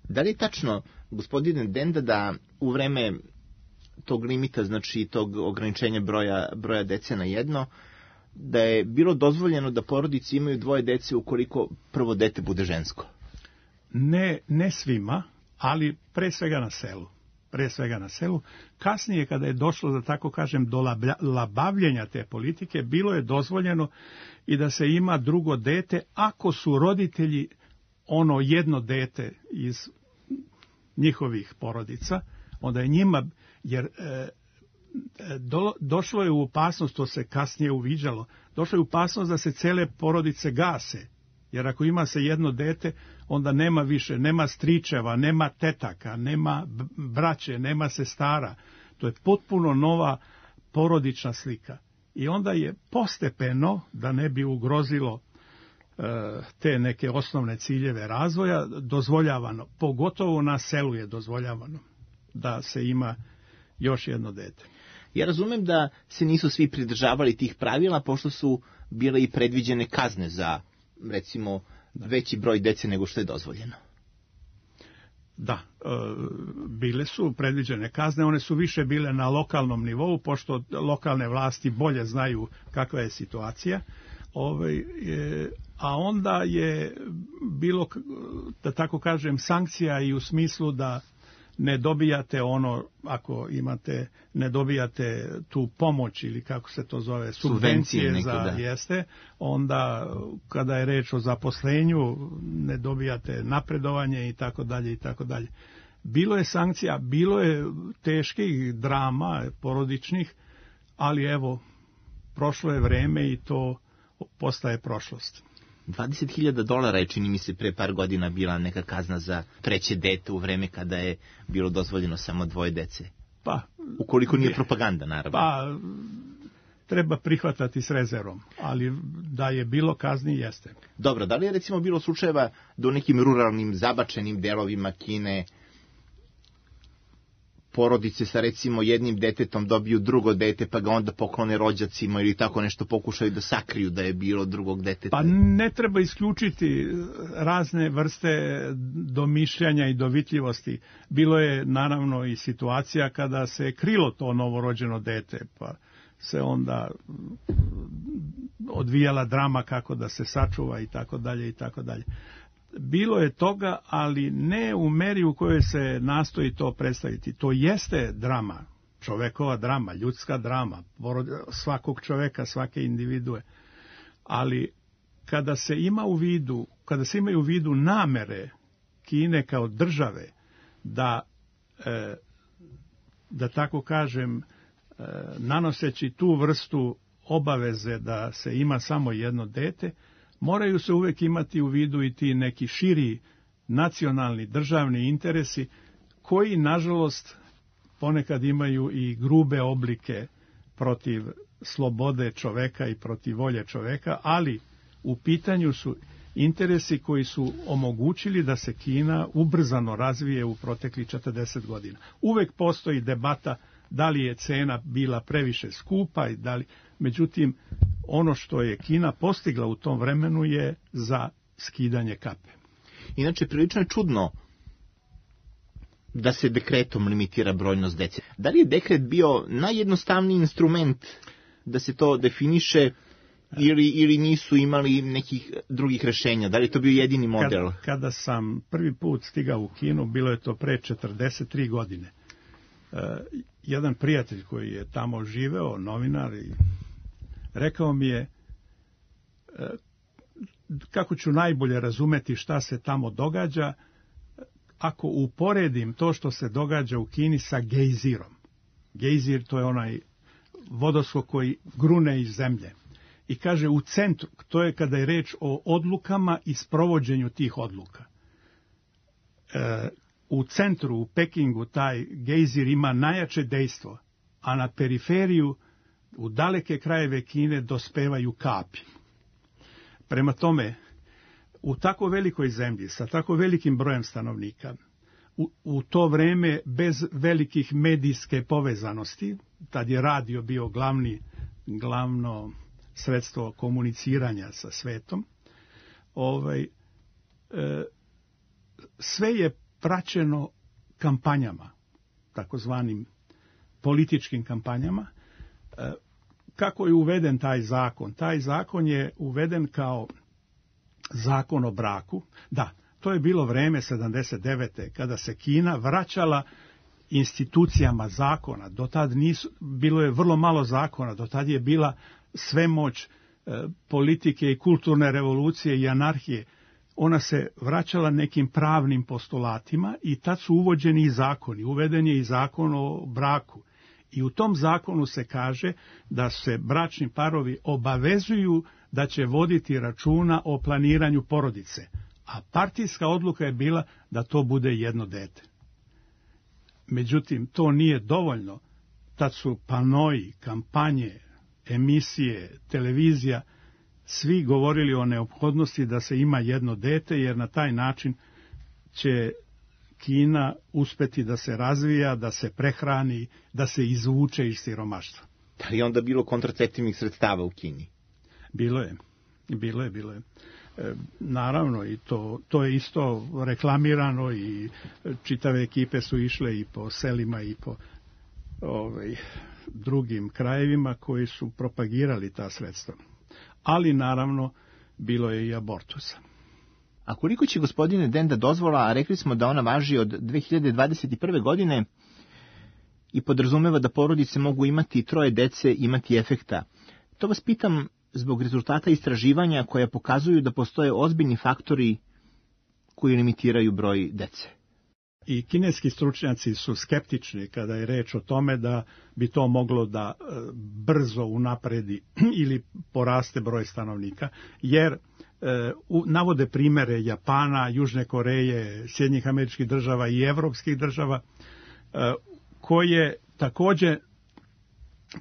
Da li je tačno, gospodine Denda, da u vreme tog limita, znači tog ograničenja broja, broja dece na jedno, da je bilo dozvoljeno da porodice imaju dvoje dece ukoliko prvo dete bude žensko? Ne, ne svima, ali pre svega na selu. Pre svega na selu. Kasnije, kada je došlo, da tako kažem, do labavljenja te politike, bilo je dozvoljeno i da se ima drugo dete ako su roditelji ono jedno dete iz njihovih porodica, onda je njima, jer e, do, došlo je u opasnost, to se kasnije uviđalo, došlo je u opasnost da se cele porodice gase, jer ako ima se jedno dete, onda nema više, nema stričeva, nema tetaka, nema braće, nema sestara. To je potpuno nova porodična slika. I onda je postepeno, da ne bi ugrozilo e, te neke osnovne ciljeve razvoja, dozvoljavano, pogotovo na selu je dozvoljavano da se ima još jedno dete. Ja razumem da se nisu svi pridržavali tih pravila, pošto su bile i predviđene kazne za, recimo, veći broj dece nego što je dozvoljeno. Da, e, bile su predviđene kazne, one su više bile na lokalnom nivou, pošto lokalne vlasti bolje znaju kakva je situacija. Ove, e, a onda je bilo, da tako kažem, sankcija i u smislu da ne dobijate ono, ako imate, ne dobijate tu pomoć ili kako se to zove, subvencije, subvencije za da. Jeste, onda kada je reč o zaposlenju ne dobijate napredovanje i tako dalje i tako dalje. Bilo je sankcija, bilo je teških drama porodičnih, ali evo, prošlo je vreme i to postaje prošlost. dvadeset hiljada dolara je, čini mi se, pre par godina bila neka kazna za treće dete u vreme kada je bilo dozvoljeno samo dvoje dece. Pa, ukoliko nije propaganda, naravno. Pa, treba prihvatati s rezervom, ali da je bilo kazni, jeste. Dobro, da li je recimo bilo slučajeva da u nekim ruralnim, zabačenim delovima Kine porodice sa recimo jednim detetom dobiju drugo dete pa ga onda poklone rođacima ili tako nešto, pokušaju da sakriju da je bilo drugog deteta? Pa ne treba isključiti razne vrste domišljanja i dovitljivosti. Bilo je naravno i situacija kada se krilo to novorođeno dete, pa se onda odvijala drama kako da se sačuva i tako dalje i tako dalje. Bilo je toga, ali ne u meri u kojoj se nastoji to predstaviti. To jeste drama, čovekova drama, ljudska drama, svakog čoveka, svake individue. Ali kada se ima u vidu, kada se imaju u vidu namere Kine kao države da, e, da tako kažem, e, nanoseći tu vrstu obaveze da se ima samo jedno dete, moraju se uvek imati u vidu i ti neki širi nacionalni, državni interesi koji, nažalost, ponekad imaju i grube oblike protiv slobode čoveka i protiv volje čoveka, ali u pitanju su interesi koji su omogućili da se Kina ubrzano razvije u proteklih četrdeset godina. Uvek postoji debata da li je cena bila previše skupa i da li, međutim, ono što je Kina postigla u tom vremenu je za skidanje kape. Inače, prilično je čudno da se dekretom limitira brojnost dece. Da li je dekret bio najjednostavniji instrument da se to definiše ili, ili nisu imali nekih drugih rešenja? Da li je to bio jedini model? Kada, kada sam prvi put stigao u Kinu, bilo je to pre četrdeset tri godine. Uh, jedan prijatelj koji je tamo živeo, novinar, i rekao mi je uh, kako ću najbolje razumeti šta se tamo događa ako uporedim to što se događa u Kini sa gejzirom. Gejzir, to je onaj vodoskok koji grune iz zemlje. I kaže, u centru, to je kada je reč o odlukama i sprovođenju tih odluka. E, u centru, u Pekingu, taj gejzir ima najjače dejstvo, a na periferiju, u daleke krajeve Kine, dospevaju kapi. Prema tome, u tako velikoj zemlji, sa tako velikim brojem stanovnika, u, u to vreme bez velikih medijske povezanosti, tad je radio bio glavni, glavno sredstvo komuniciranja sa svetom, ovaj, e, sve je praćeno kampanjama, takozvanim političkim kampanjama. E, kako je uveden taj zakon? Taj zakon je uveden kao zakon o braku. Da, to je bilo vreme sedamdeset devete kada se Kina vraćala institucijama zakona. Do tad nisu, bilo je vrlo malo zakona, do tad je bila svemoć e, politike i kulturne revolucije i anarhije. Ona se vraćala nekim pravnim postulatima i tad su uvođeni i zakoni. Uveden je i zakon o braku. I u tom zakonu se kaže da se bračni parovi obavezuju da će voditi računa o planiranju porodice. A partijska odluka je bila da to bude jedno dete. Međutim, to nije dovoljno. Tad su panoji, kampanje, emisije, televizija, svi govorili o neophodnosti da se ima jedno dete, jer na taj način će Kina uspeti da se razvija, da se prehrani, da se izvuče iz siromaštva. Da li je onda bilo kontraceptivnih sredstava u Kini? Bilo je, bilo je, bilo je. E, naravno, i to, to je isto reklamirano i čitave ekipe su išle i po selima i po ovaj, drugim krajevima koji su propagirali ta sredstva. Ali naravno bilo je i abortusa. A koliko će, gospodine Denda, dozvola, a rekli smo da ona važi od dve hiljade dvadeset prve. godine i podrazumeva da porodice mogu imati troje dece, imati efekta. To vas pitam zbog rezultata istraživanja koja pokazuju da postoje ozbiljni faktori koji limitiraju broj dece. I kineski stručnjaci su skeptični kada je reč o tome da bi to moglo da brzo unapredi ili poraste broj stanovnika, jer e, u, navode primere Japana, Južne Koreje, Sjedinjenih Američkih Država i evropskih država, e, koje takođe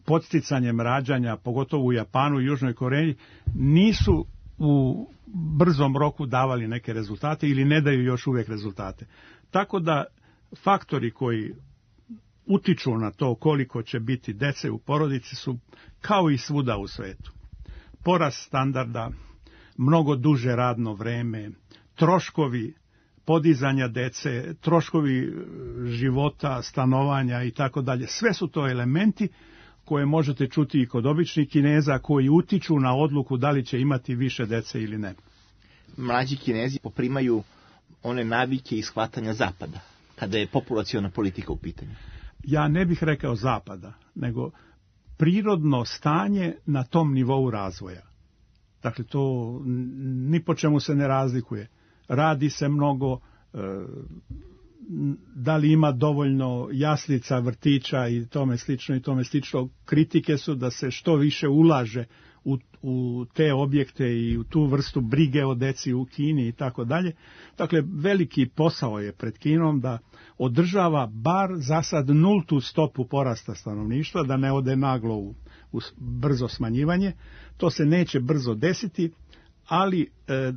podsticanjem rađanja, pogotovo u Japanu i Južnoj Koreji, nisu u brzom roku davali neke rezultate ili ne daju još uvijek rezultate. Tako da faktori koji utiču na to koliko će biti dece u porodici su kao i svuda u svetu. Porast standarda, mnogo duže radno vreme, troškovi podizanja dece, troškovi života, stanovanja i tako dalje. Sve su to elementi koje možete čuti i kod običnih Kineza koji utiču na odluku da li će imati više dece ili ne. Mlađi Kinezi poprimaju one navike i shvatanja Zapada, kada je populaciona politika u pitanju. Ja ne bih rekao Zapada, nego prirodno stanje na tom nivou razvoja. Dakle, to ni po čemu se ne razlikuje. Radi se mnogo, da li ima dovoljno jaslica, vrtića i tome slično i tome slično. Kritike su da se što više ulaže u, u te objekte i u tu vrstu brige o deci u Kini i tako dalje. Dakle, veliki posao je pred Kinom da održava bar za sad nultu stopu porasta stanovništva, da ne ode naglo u, u brzo smanjivanje. To se neće brzo desiti, ali e,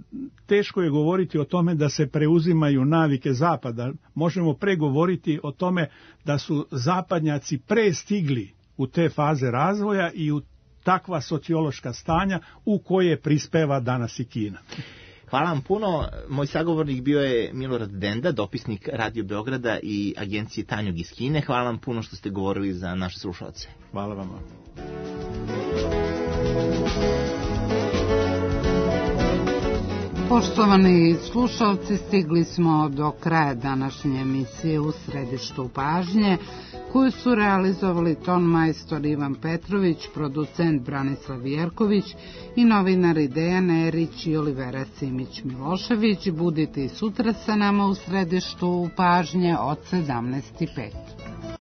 teško je govoriti o tome da se preuzimaju navike Zapada. Možemo pregovoriti o tome da su zapadnjaci prestigli u te faze razvoja i u takva sociološka stanja u koje prispeva danas i Kina. Hvala vam puno. Moj sagovornik bio je Milorad Denda, dopisnik Radio Beograda i agencije Tanjug iz Kine. Hvala vam puno što ste govorili za naše slušalce. Hvala vam. Poštovani slušalci, stigli smo do kraja današnje emisije U središtu pažnje, koju su realizovali ton majstor Ivan Petrović, producent Branislav Jerković i novinari Dejan Erić i Olivera Simić-Milošević. Budite i sutra sa nama u središtu pažnje od sedamnaest i pet.